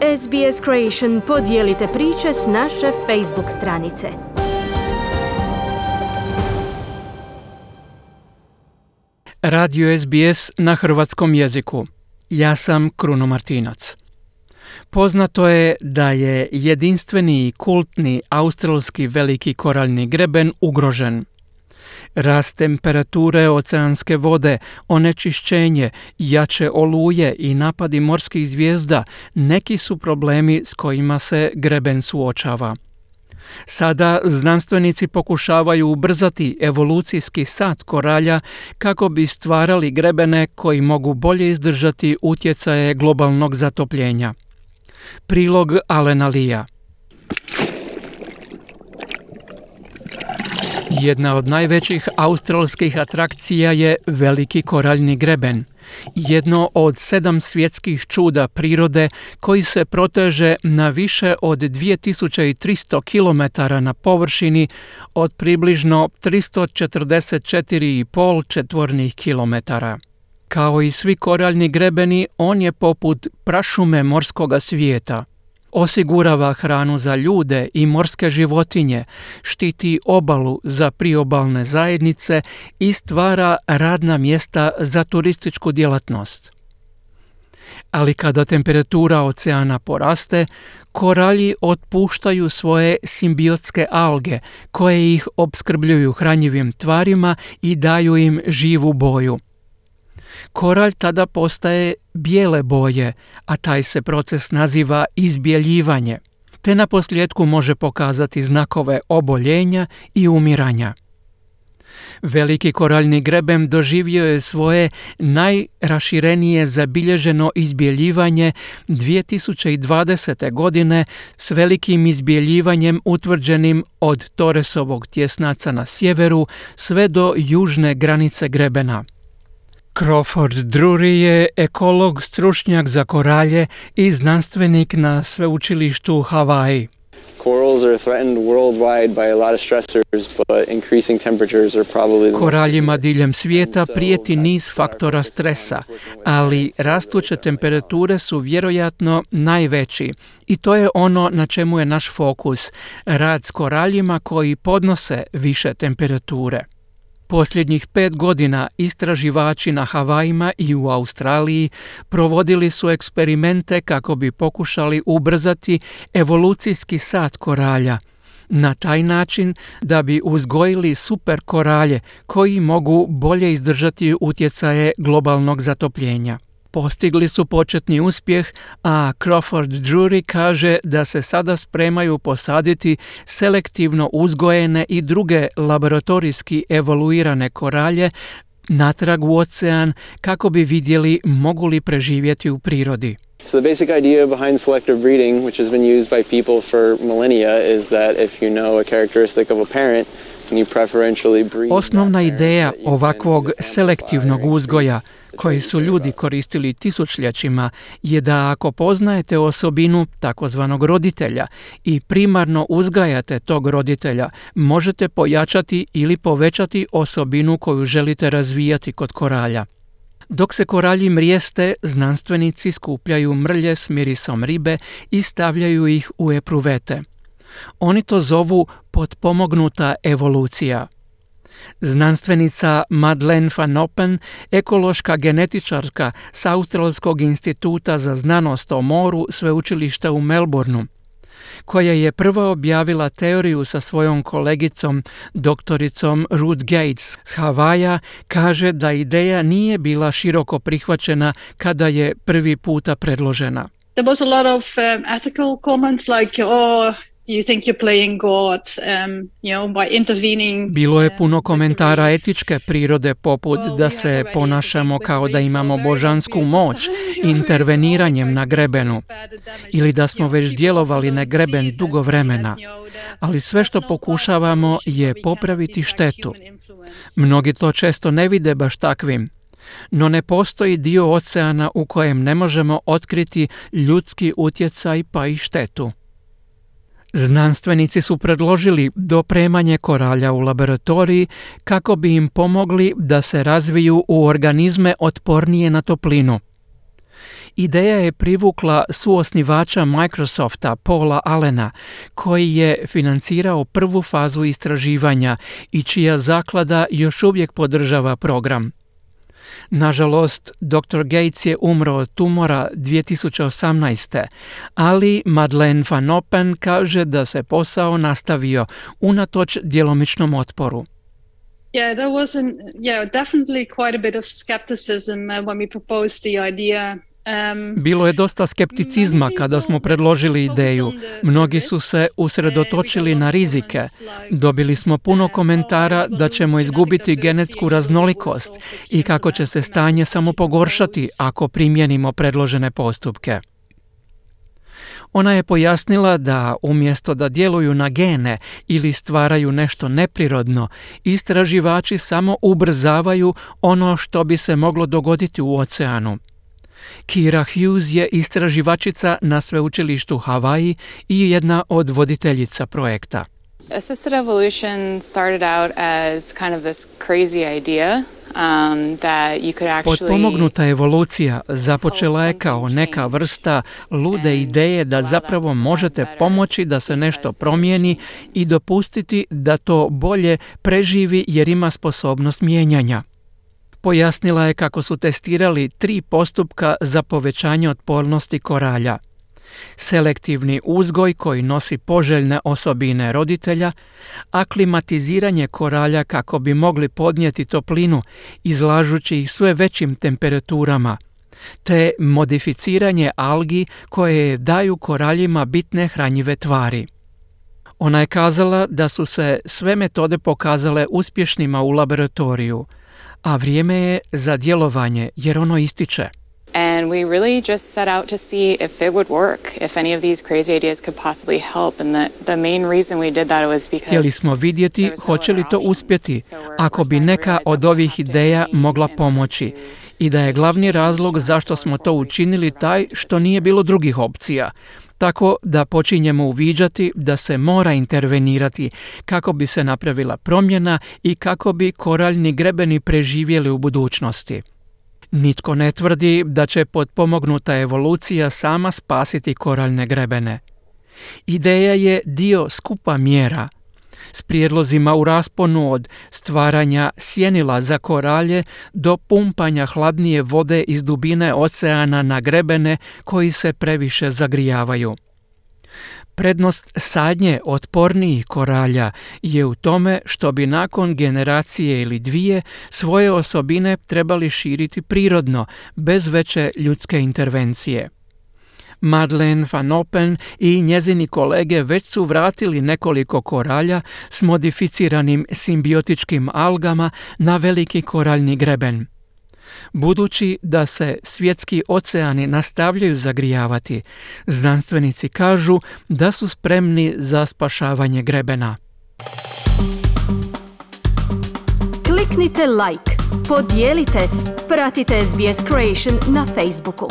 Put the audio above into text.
SBS Creation podijelite priče s naše Facebook stranice. Radio SBS na hrvatskom jeziku. Ja sam Kruno Martinac. Poznato je da je jedinstveni i kultni australski veliki koraljni greben ugrožen. Rast temperature oceanske vode, onečišćenje, jače oluje i napadi morskih zvijezda neki su problemi s kojima se greben suočava. Sada znanstvenici pokušavaju ubrzati evolucijski sat koralja kako bi stvarali grebene koji mogu bolje izdržati utjecaje globalnog zatopljenja. Prilog Alena Lea. Jedna od najvećih australskih atrakcija je veliki koraljni greben, jedno od 7 svjetskih čuda prirode koji se proteže na više od 2300 km na površini od približno 344,5 četvornih kilometara. Kao i svi koraljni grebeni, on je poput prašume morskoga svijeta. Osigurava hranu za ljude i morske životinje, štiti obalu za priobalne zajednice i stvara radna mjesta za turističku djelatnost. Ali kada temperatura oceana poraste, koralji otpuštaju svoje simbiotske alge koje ih opskrbljuju hranjivim tvarima i daju im živu boju. Koralj tada postaje bijele boje, a taj se proces naziva izbjeljivanje, te naposljetku može pokazati znakove oboljenja i umiranja. Veliki koraljni greben doživio je svoje najraširenije zabilježeno izbjeljivanje 2020. godine s velikim izbjeljivanjem utvrđenim od Torresovog tjesnaca na sjeveru sve do južne granice grebena. Crawford Drury je ekolog, stručnjak za koralje i znanstvenik na sveučilištu u Havaji. Koraljima diljem svijeta prijeti niz faktora stresa, ali rastuće temperature su vjerojatno najveći i to je ono na čemu je naš fokus, rad s koraljima koji podnose više temperature. Posljednjih 5 godina istraživači na Havajima i u Australiji provodili su eksperimente kako bi pokušali ubrzati evolucijski sat koralja, na taj način da bi uzgojili super koralje koji mogu bolje izdržati utjecaje globalnog zatopljenja. Postigli su početni uspjeh, a Crawford Drury kaže da se sada spremaju posaditi selektivno uzgojene i druge laboratorijski evoluirane koralje natrag u ocean kako bi vidjeli mogu li preživjeti u prirodi. So the basic idea behind selective breeding, which has been used by people for millennia, is that if you know a characteristic of a parent, osnovna ideja ovakvog selektivnog uzgoja koji su ljudi koristili tisućljećima je da ako poznajete osobinu takozvanog roditelja i primarno uzgajate tog roditelja, možete pojačati ili povećati osobinu koju želite razvijati kod koralja. Dok se koralji mrijeste, znanstvenici skupljaju mrlje s mirisom ribe i stavljaju ih u epruvete. Oni to zovu potpomognuta evolucija. Znanstvenica Madeleine van Oppen, ekološka genetičarka s Australskog instituta za znanost o moru sveučilišta u Melbourneu, koja je prva objavila teoriju sa svojom kolegicom, doktoricom Ruth Gates s Havaja, kaže da ideja nije bila široko prihvaćena kada je prvi puta predložena. There was a lot of ethical comments like, you think you're playing God, by intervening. Bilo je puno komentara etičke prirode poput da se ponašamo kao da imamo božansku moć interveniranjem na grebenu ili da smo već djelovali na greben dugo vremena, ali sve što pokušavamo je popraviti štetu. Mnogi to često ne vide baš takvim, no ne postoji dio oceana u kojem ne možemo otkriti ljudski utjecaj pa i štetu. Znanstvenici su predložili dopremanje koralja u laboratoriji kako bi im pomogli da se razviju u organizme otpornije na toplinu. Ideja je privukla suosnivača Microsofta Paula Allena, koji je financirao prvu fazu istraživanja i čija zaklada još uvijek podržava program. Nažalost, dr. Gates je umro od tumora 2018. Ali Madeleine Van Oppen kaže da se posao nastavio unatoč djelomičnom otporu. Yeah, there was definitely quite a bit of skepticism when we proposed the idea. Bilo je dosta skepticizma kada smo predložili ideju. Mnogi su se usredotočili na rizike. Dobili smo puno komentara da ćemo izgubiti genetsku raznolikost i kako će se stanje samo pogoršati ako primijenimo predložene postupke. Ona je pojasnila da umjesto da djeluju na gene ili stvaraju nešto neprirodno, istraživači samo ubrzavaju ono što bi se moglo dogoditi u oceanu. Kira Hughes je istraživačica na sveučilištu Havaji i jedna od voditeljica projekta. Assisted evolution started out as kind of this crazy idea that you could actually... Potpomognuta evolucija započela je kao neka vrsta lude ideje da zapravo možete pomoći da se nešto promijeni i dopustiti da to bolje preživi jer ima sposobnost mijenjanja. Pojasnila je kako su testirali 3 postupka za povećanje otpornosti koralja. Selektivni uzgoj koji nosi poželjne osobine roditelja, aklimatiziranje koralja kako bi mogli podnijeti toplinu izlažući ih sve većim temperaturama, te modificiranje algi koje daju koraljima bitne hranjive tvari. Ona je kazala da su se sve metode pokazale uspješnima u laboratoriju, a vrijeme je za djelovanje jer ono ističe. And we really just set out to see if it would work, if any of these crazy ideas could possibly help. And the main reason we did that was because htjeli smo vidjeti hoće li to uspjeti ako bi neka od ovih ideja mogla pomoći i da je glavni razlog zašto smo to učinili taj što nije bilo drugih opcija. Tako da počinjemo uviđati da se mora intervenirati kako bi se napravila promjena i kako bi koraljni grebeni preživjeli u budućnosti. Nitko ne tvrdi da će potpomognuta evolucija sama spasiti koraljne grebene. Ideja je dio skupa mjera s prijedlozima u rasponu od stvaranja sjenila za koralje do pumpanja hladnije vode iz dubine oceana na grebene koji se previše zagrijavaju. Prednost sadnje otpornijih koralja je u tome što bi nakon generacije ili dvije svoje osobine trebali širiti prirodno, bez veće ljudske intervencije. Madeleine Van Oppen i njezini kolege već su vratili nekoliko koralja s modificiranim simbiotičkim algama na veliki koraljni greben. Budući da se svjetski oceani nastavljaju zagrijavati, znanstvenici kažu da su spremni za spašavanje grebena. Kliknite like, podijelite, pratite SBS Creation na Facebooku.